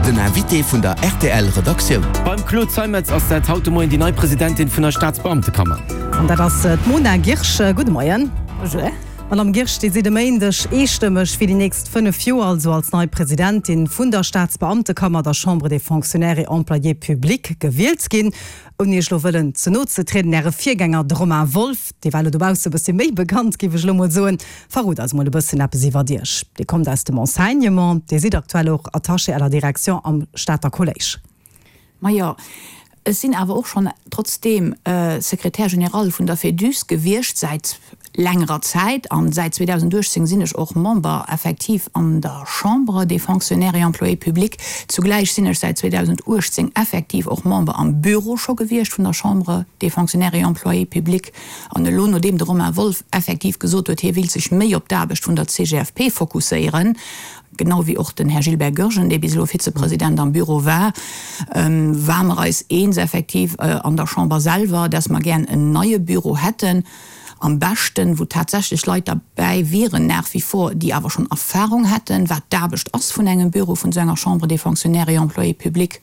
Den Invité vun der rtl Redaktioun. Beim Claude Zeimetz ass dat haut de Moien déi nei Presidentin vun der Staatsbeamtekammer. An dat ass d'Mona Guirsch. Gudde Moien. Bonjour. Madame Guirsch, Dir sidd e Méindeg eestëmmeg fir déi nächst 5 Joer, also als nei Presidentin vun der Staatsbeamtekammer, der Chambre des Fonctionnaires et Employés publics, gewielt ginn. Ouni Iech elo wëllen ze no ze trieden, Äre Virgänger, de Romain Wolff, dee war elo dobausse e bëssi méi bekannt, géif ech elo mol soen. Verrot eis mol e bësschen eppes iwwert Iech. Dir kommt aus dem Enseignement, Dir sidd aktuell och Attachée à la direction am Stater Kolléisch. Majo, ech sinn awer och schonn trotzdeem Secrétaire général vun der Féduse gewiescht säit längerer Zäit an säit 2018 sinn ech och Member effektiv an der Chambre des Fonctionnaires et Employés publics. Zugläich sinn ech säit 2018 effektiv och Member am Büro scho gewiescht vun der Chambre des Fonctionnaires et Employés publics. An elo, nodeem de Romain Wolff effektiv gesot huet, hie wéilt sech méi op d'Aarbecht vun der CGFP fokusséieren, genau wéi och den Här Gilbert Goergen, dee bis elo Vizepresident am Büro war, ware mer eis eens effektiv an der Chamber selwer, dass mer gären en neie Büro hätten, am beschten, wou tatsächlech Leit derbäi wieren nach wie vor, déi awer schonn Erfahrung hätten, wat d'Aarbecht ass vun engem Büro, vun esou enger Chambre des Fonctionnaires et Employés publics,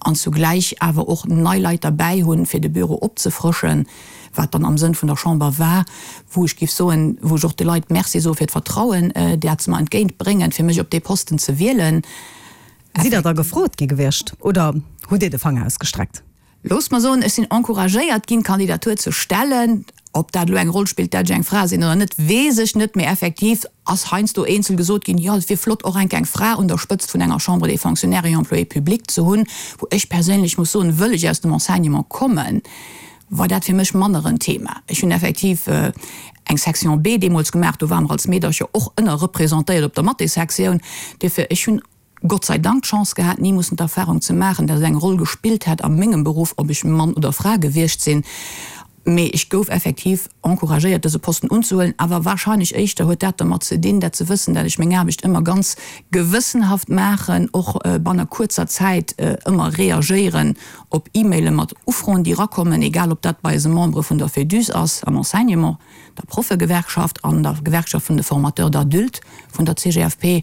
an zugläich awer och nei Leit derbäi hunn, fir de Büro opzefrëschen, wat dann am Sënn vun der Chamber war, wou ech géif soen, wou ech och de Leit Merci soe fir d'Vertrauen, dat se mer entgéint bréngen, fir mech op dee Posten ze wielen. Sidd Der da gefrot gi gewiescht oder hutt Dir de Fanger ausgestreckt? Loosst mer soen, ech sinn encouragéiert ginn, d'Kandidatur ze stellen. Ob dat elo eng Roll spillt, dat ech eng Fra sinn oder net, weess ech net, mee effektiv ass heiansdo eenzel gesot ginn, jo, et wier flott, och enk eng Fra un der Spëtzt vun enger Chambre des Fonctionnaires et Employés publics ze hunn, wou ech perséinlech muss soen, wëll ech aus dem Enseignement kommen, war dat fir mech manner en Thema. Ech hunn effektiv eng Section B deemools gemaach, do ware mer als Meedercher och ënnerrepresentéiert op der Mathéssektioun. Duerfir, ech hunn Gott sei Dank d'Chance gehat, ni mussen d'Erfahrung ze maachen, dat et eng Roll gespillt hätt a mengem Beruff, ob ech Mann oder Fra gewiescht sinn. Mee ech gouf effektiv encouragéiert, dëse Posten unzehuelen. Awer wahrscheinlech éischter huet dat dermat ze dinn, dat ze wëssen, dat ech meng Aarbecht ëmmer ganz gewëssenhaft maachen, och banne kuerzer Zäit ëmmer reagéieren op E-Maile mat Ufroen, déi erakommen, egal ob dat bei eise Membere vun der Féduse ass am Enseignement, der Proffegewerkschaft an der Gewerkschaft vun de Formateurs d'adultes vun der CGFP,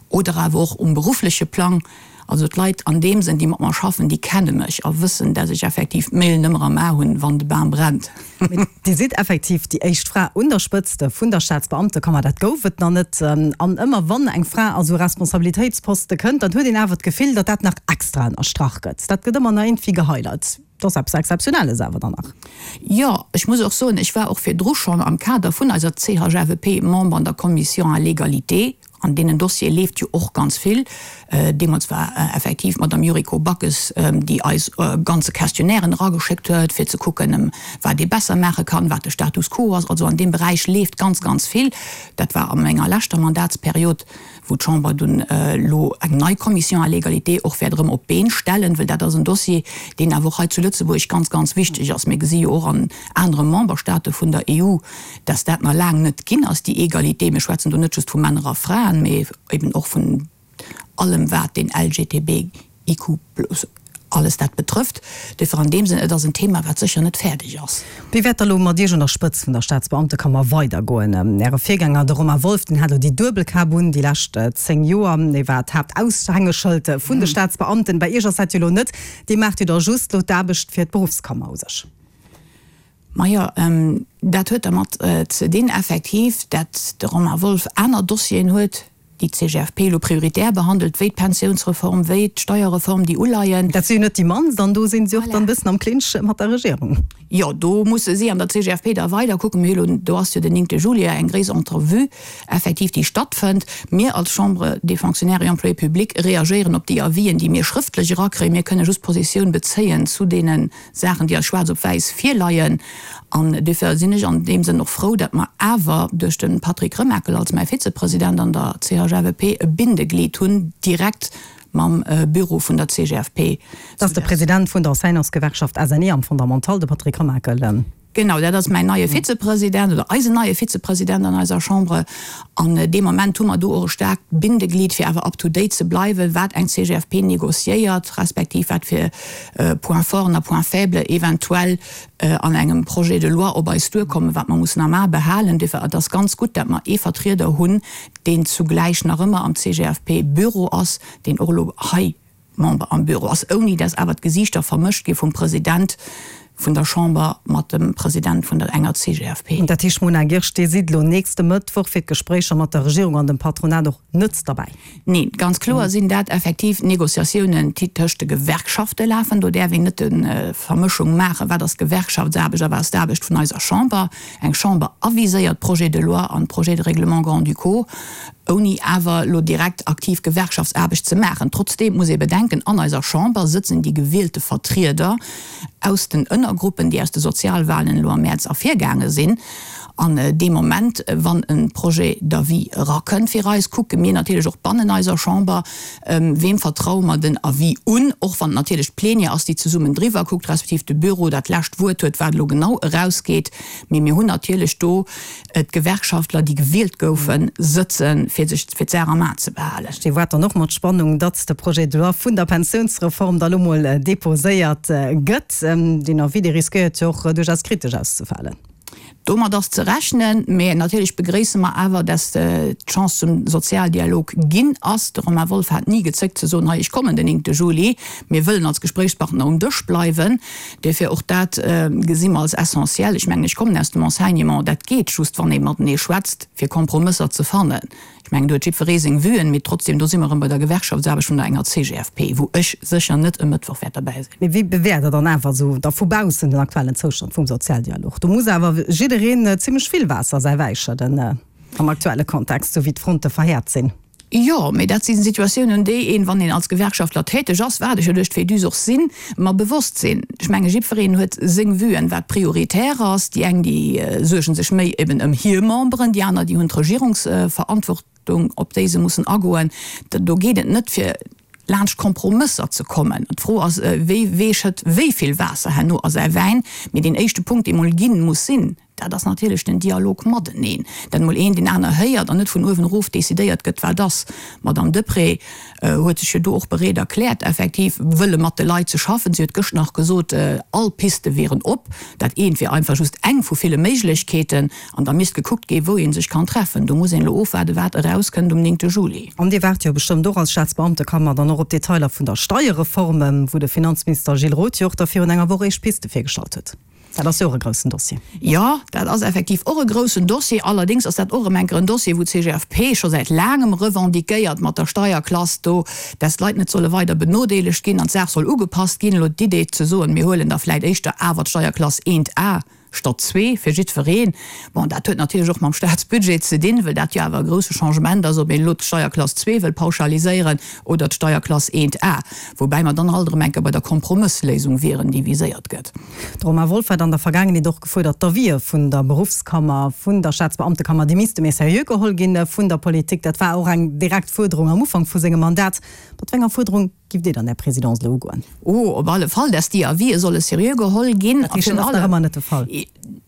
Oder awer och um beruffleche Plang. Also d'Leit an deem Sënn, déi mat mer schaffen, déi kenne mech a wëssen, dass ech effektiv d'Millen ëmmer am A hunn, wann de Bam brennt. Mee Dir sidd effektiv déi éischt Fra un der Spëtzt vun der Staatsbeamtekammer. Dat gouf et nach net. An ëmmer wann eng Fra a sou Responsabilitéitsposte kënnt, dann huet een awer d'Gefill, datt dat nach extra ënnerstrach gëtt. Dat gëtt ëmmer nach iergendwéi gehighlight. Dat ass eppes Exzeptionelles awer dann nach. Jo, ech muss och soen, ech war och virdru schonn am Kader vun eiser CHFEP Member an der Commission à l'égalité. An deenen Dossiere leeft jo och ganz vill. Deemools war effektiv d'Madame Yuriko Backes, déi eis ganze Questionnairen erageschéckt huet, fir ze kucken, wat ee besser maache kann, wat de Status quo ass. Also an deem Beräich leeft ganz, ganz vill. Dat war a menger leschter Mandatsperiod, wou d'Chamber dunn elo eng nei Commission à l'égalité och wäert erëm op d'Been stellen, well dat ass en Dossier, deen awer och hei zu Lëtzebuerg ganz, ganz wichteg ass. Mir gesi jo och an anere Memberstaate vun der EU, dass dat nach laang net ginn ass, déi Egalité, mir schwätzen do net just vu Männer a Fraen, mee eben och vun allem wat den LGTBIQ plus alles dat betrëfft. Duerfir an deem Sënn, et ass en Thema, wat sécher net fäerdeg ass. Wéi wäert da lo mat Iech un der Spëtzt vun der Staatsbeamtekammer weidergoen? Äre Virgänger, de Romain Wolff, deen hat elo déi duebel Kap un déi lescht 10 Joer. Dee war d'Haaptaushängeschëld vun de Staatsbeamten. Bei Iech ass dat jo lo net. Dir maacht jo da just lo d'Aarbecht fir d'Beruffskammer u sech. Majo, dat huet dermat ze dinn effektiv, dat de Romain Wolff aner Dossieren huet, déi d'CGFP elo prioritär behandelt, wéi d'Pensiounsreform, wéi d'Steierreform, déi uleien. Dat si jo net déi mannst an do si si och dann e bëssen am Clinch mat der Regierung. Jo, do musse si an der CGFP da weider kucken. Mir hu elo, do ass jo den 9 Juillet eng gréisser Entrevue effektiv, déi stattfënnt. Mir als Chambre des Fonctionnaires et Employés publics reagéieren op déi Avisen, déi mir schrëftlech erakréien. Mir kënne just Positioun bezéien zu deene Saachen, déi eis schwaarz op wäiss virleien. An duerfir sinn ech an deem Sënn och frou, datt mer awer duerch de Patrick Remakel als mäi Vizepresident an der CHFEP e Bindeglied hunn direkt mam Büro vun der CGFP. Dat ass de President vun der Enseignantsgewerkschaft SNE am Fondamental, de Patrick Remakel. Genau, dat ass mäin neie Vizepresident oder eisen neie Vizepresident an eiser Chambre. An dee Moment hu mer do och e staarkt Bindeglied, fir awer up to date ze bleiwen, wat eng CGFP négociéiert, respektiv wat fir Points forten a Points faibles eventuell an engem Projet de loi op eis duerkommen, wat mer mussen am A behalen. Duerfir, et ass ganz gutt, dat mer ee Vertrieder hunn, deen zugläich nach ëmmer am CGFP-Büro ass, deen och elo hei. Member am Büro ass, ouni dass awer d'Gesiichter vermëscht gi vum President vun der Chamber mat dem President vun der enger CGFP. Dat heescht, Mona Guirsch, Dir sidd elo nächste Mëttwoch fir d'Gespréicher mat der Regierung an dem Patronat och net derbäi? Neen, ganz kloer sinn dat effektiv Négociatiounen, déi tëscht de Gewerkschafte lafen. Do däerf een net de Vermëschung maachen, wat ass Gewerkschaftsaarbecht a wat ass d'Aarbecht vun eiser Chamber. Eng Chamber aviséiert d'Projets de loi an d'Projets de règlement grand-ducaux, ouni awer elo direkt aktiv Gewerkschaftsaarbecht ze maachen. Trotzdeem muss ee bedenken, an eiser Chamber sëtzen déi gewielte Vertrieder aus den Ënnergruppen, déi aus de Sozialwahlen elo am Mäerz ervirgaange sinn. An dee Moment, wann e Projet d'avis erakënnt fir eis, kucke mir natierlech och bannen eiser Chamber, Weem vertraue mer den Avis un, och wann et natierlech d'Plenière ass, déi zesummen driwwer kuckt, respektiv de Büro dat lescht Wuert huet, wat elo genau erausgeet. Mee mir hunn natierlech do d'Gewerkschaftler, déi gewielt goufen, sëtzen, fir sech, fir d'Saach am A ze behalen. Dir waart dann och mat Spannung, datt de Projet de loi vun der Pensiounsreform da lo mol deposéiert gëtt. Deen Avis, dee riskéiert jo och duerchaus kritesch auszefalen. Domat ass ze rechnen, mä natierlech begréisse mer awer, dass d'Chance zum Sozialdialog ginn ass. De Romain Wolff hat ni gezéckt ze soen, hei ech kommen den 9 Juli, mir wëllen als Gespréichspartner um Dësch bleiwen. Duerfir och dat gesi mer als essentiell. Ech mengen, ech kommen aus dem Enseignement, dat geet just, wann ee matenee schwätzt, fir Kompromësser ze fannen. Ech mengen, do huet jiddweree seng Vuen, mee trotzdem, do si mer erëm bei der Gewerkschaftsaarbecht vun der enger CGFP, wou ech sécher net e Mëttwoch wäert derbäi sinn. Mee wéi bewäert Der dann awer esou da vu baussen den aktuellen Zoustand vum Sozialdialog? Do muss awer jiddereen zimlech vill Waasser säi Wäi schëdden am aktuelle Kontext, esou wéi d'Fronte verhäert sinn. Jo, mee dat si Situatiounen, déi een, wann een als Gewerkschaftler täteg ass, wat ech jo duerch d'Féduse och sinn, mer bewosst sinn. Ech menge jiddwereen huet seng Vuen, wat prioritär ass. Déi eng, déi suerge sech méi eben ëm hir Memberen, déi aner, déi hunn d'Regierungsverantwortung, op déi se mussen agoen. Do geet et net fir laanscht Kompromësser ze kommen. D'Fro ass, wie wee schëtt wéi vill Waasser herno a säi Wäin. Mee deen éischte Punkt, dee mol ginn muss sinn, Dat ass natierlech den Dialog mateneen, dat emol een deen aner héiert an net vun uewen erof decidéiert gëtt, wat ass. D'Madame Deprez huet sech jo do och bereet erkläert, effektiv wëlle mat de Leit ze schaffen. Si huet gëscht nach gesot, all Piste wieren op. Dat eent wier einfach just eng vu ville Méiglechkeeten an da misst gekuckt gi wou ee sech kann treffen. Do muss een elo ofwaarden, wat erauskënnt um 9 Juli. An Dir waart jo bestëmmt och als Staatsbeamtekammer dann och op d'Detailer vun der Steierreform, wou de Finanzminister Gilles Roth jo och da virun enger Woch éischt Piste virgestallt huet. Dat ass jo och e groussen Dossier. Jo, dat ass effektiv och e groussen Dossier. Allerdéngs ass dat och erëm enker en Dossier, wou d'CGFP scho säit laangem revendiquéiert mat der Steierklass do, dass d'Leit net solle weider benodeelegt ginn an d'Saach soll ugepasst ginn. Elo d'Idee ze soen, mir huelen da vläicht éischter awer d'Steierklass 1 A statt 2 fir jiddwereen, bon, dat huet natierlech och mam Staatsbudget ze dinn, well dat jo awer e grousse Changement ass, ob een elo d'Steierklass 2 wëll pauschaliséieren oder d'Steierklass 1 A, woubäi mer dann alt erëm enker bei der Kompromëssléisung wieren, déi viséiert gëtt. De Romain Wolff hat an der Vergaangenheet och gefuerdert, d'Avisë vun der Beruffskammer, vun der Staatsbeamtekammer, déi misste méi seriö geholl gi vun der Politik. Dat war och eng direkt Fuerderung am Ufank vu sengem Mandat. Mat wéi enger Fuerderung giff Dir dann Är Présidence elo ugoen? Oh, op alle Fall, dass déi Avisë solle seriö geholl ginn. Dat heescht, dat ass nach ëmmer net de Fall?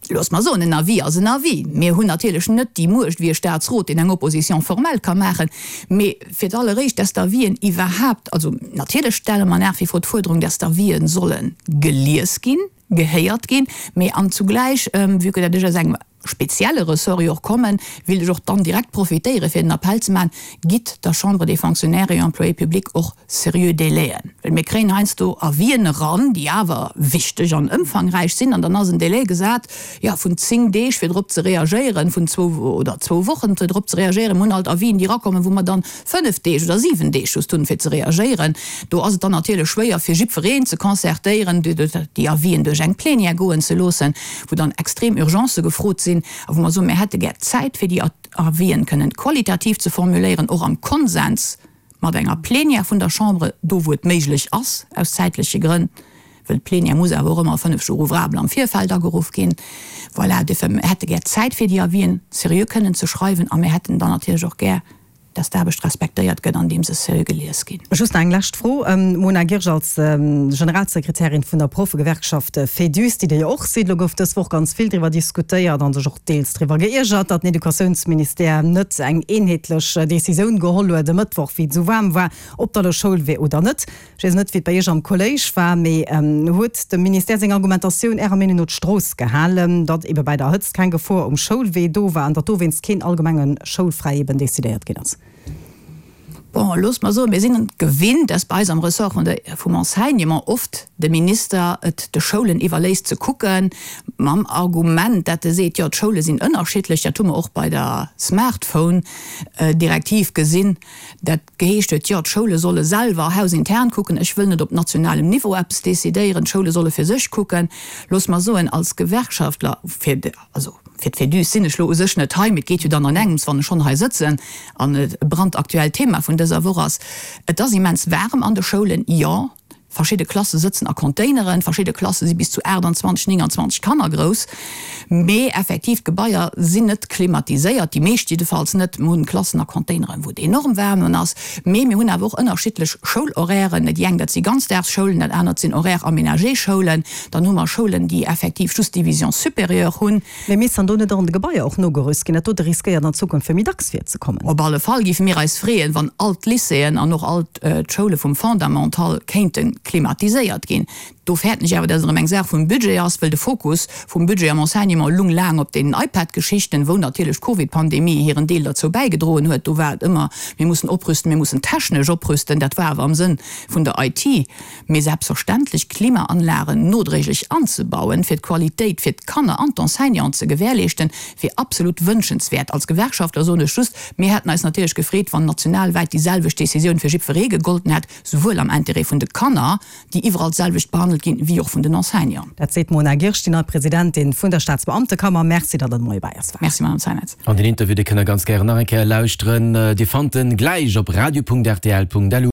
Loosst mer soen, en Avis ass en Avis. Mir hunn natierlech net déi Muecht wéi e Staatsrot, deen eng Opposition formelle ka maachen. Mee fir d'alleréischt, dass d'Avisen iwwerhaapt, also natierlech stelle mer nach wie vor d'Fuerderung, dass d'Avisen solle gelies ginn, gehéiert ginn, mee an zugläich, vue que dat ech aus engem spezielle Ressort jo och kommen, wéilt ech och dann direkt profitéieren, fir den Appell ze maachen, Gitt der Chambre des Fonctionnaires et Employés publics och seriö Délaiën, well mir kréien heiansdo Avisen eran, déi awer wichteg an ëmfangräich sinn, an dann ass en Délai gesat, jo, vun 10 Deeg fir drop ze reagéieren, vun zwou oder zwou Wochen fir drop ze reagéieren. Mir hunn alt Avisen, déi erakommen, wou mer dann 5 Deeg oder 7 Deeg just hunn, fir ze reagéieren. Do ass et dann natierlech schwéier, fir jiddwereen ze concertéieren, déi Avisen duerch eng Plénière goen ze loossen, wou dann extrem Urgencë gefrot sinn a wou mer soen, mir hätte gär Zäit, fir déi Avisen kënnen qualitativ ze formuléieren, och am Konsens mat enger Plénière vun der Chambre, do wou et méiglech ass, aus zäitleche Grënn, well d'Plénière muss awer och ëmmer 5 Jours ouvrables am Virfeld ageruff ginn. Voilà, duerfir, mir hätte gär Zäit fir déi Avisen seriö kënnen ze schreiwen a mir hätten dann natierlech och gär, dass d'Aarbecht respektéiert gëtt, andeem se seriö gelies ginn. Just nach eng lescht Fro, Mona Guirsch, als Generalsekretärin vun der Proffegewerkschaft Féduse, déi Dir jo och sidd, elo gouf dës Woch ganz vill driwwer diskutéiert a sech och deels driwwer geiergert, datt den Educatiounsministère net eng eenheetlech Decisioun geholl huet e Mëttwoch, wéi et esou waarm war, ob da elo Schoul wier oder net. Ech weess net, wéi et bei Iech am Kolléisch war, mee huet dem Ministère seng Argumentatioun Ärer Meenung no d'Strooss gehalen, datt ebe bei der Hëtzt keng Gefor um Schoulwee do war an datt dowéinst keen allgemenge Schoulfräi eben decidéiert ginn ass? Bon, loosst mer soen, mir sinn et gewinnt, dass bei eis am Ressort vun der, vum Enseignement oft de Minister et de Schoulen iwwerléisst ze kucken, mam Argument, dat e seet, jo, d'Schoule sinn ënnerschiddlech. Dat hu mer och bei der Smartphone-Direktiv gesinn, dat geheescht huet, jo, d'Schoule solle selwer hausintern kucken, ech wëll net op nationalem Niveau eppes decidéieren, d'Schoule solle fir sech kucken. Loosst mer soen, als Gewerkschaftler, fir, also fir d'Fédus sinn ech lo u sech net hei, mee et geet jo dann an engems, wann ech schonn hei sëtzen an et e brandaktuellt Thema vun dëser Woch ass. Et ass immens waarem an de Schoulen, jo. Verschidde Klasse sëtzen a Containeren, verschidde Klasse si bis zu 28, 29 Kanner grouss. Mee effektiv, d'Gebaier sinn net klimatiséiert, déi meescht jiddefalls net. Mir hunn Klassen a Containeren, wou et enorm waarm ass. Mee mir hunn awer och ënnerschiddlech Schoulhorairen. Déi eng, dat si Ganzdagsschoulen, dat anert sinn Horaire-aménagé-Schoulen. Dann hu mer Schoulen, déi effektiv just Division supérieure hunn. Mee misst dann do net och an de Gebaier och nogerüst ginn? Dat dote riskéiert an Zukunft fir méi dacks virzekommen. Op alle Fall géife mir eis freeën, wann all d'Lycéeën an och all d'Schoule vum Fondamental kéinte klimatiséiert ginn. Do fäerten ech awer, dass et erëm eng Saach vum Budget ass, wëll de Fokus vum Budget am Enseignement lung laang op deenen iPad-Geschichten, wou natierlech d'Covid-Pandemie hiren Deel derzou bäigedroen huet. Do war et ëmmer, mir mussen oprüsten, mir mussen technesch oprüsten. Dat war awer am Sënn vun der IT. Mee selbstverständlech Klimaanlagen nodréiglech anzebauen, fir d'Qualitéit fir d'Kanner an d'Enseignanten ze gewährleeschten, wier absolut wënschenswäert. Als Gewerkschaftler soen ech just, Mir hätten eis natierlech gefreet, wann nationalwäit déi selwecht Décisioun fir jiddweree gegolten hätt, souwuel am Intérêt vun de Kanner, déi iwwerall d'selwecht behandelt ginn, wéi och vun den Enseignanten. Dat seet d'Mona Guirsch, déi nei Presidentin vun der Staatsbeamtekammer. Merci, datt Der de Moie bei eis waart. Merci, Madame Zeimetz. An den Interview, dee kënnt Der ganz gären nach eng Kéier lauschteren. Dir fannt en gläich op radio.rtl.lu.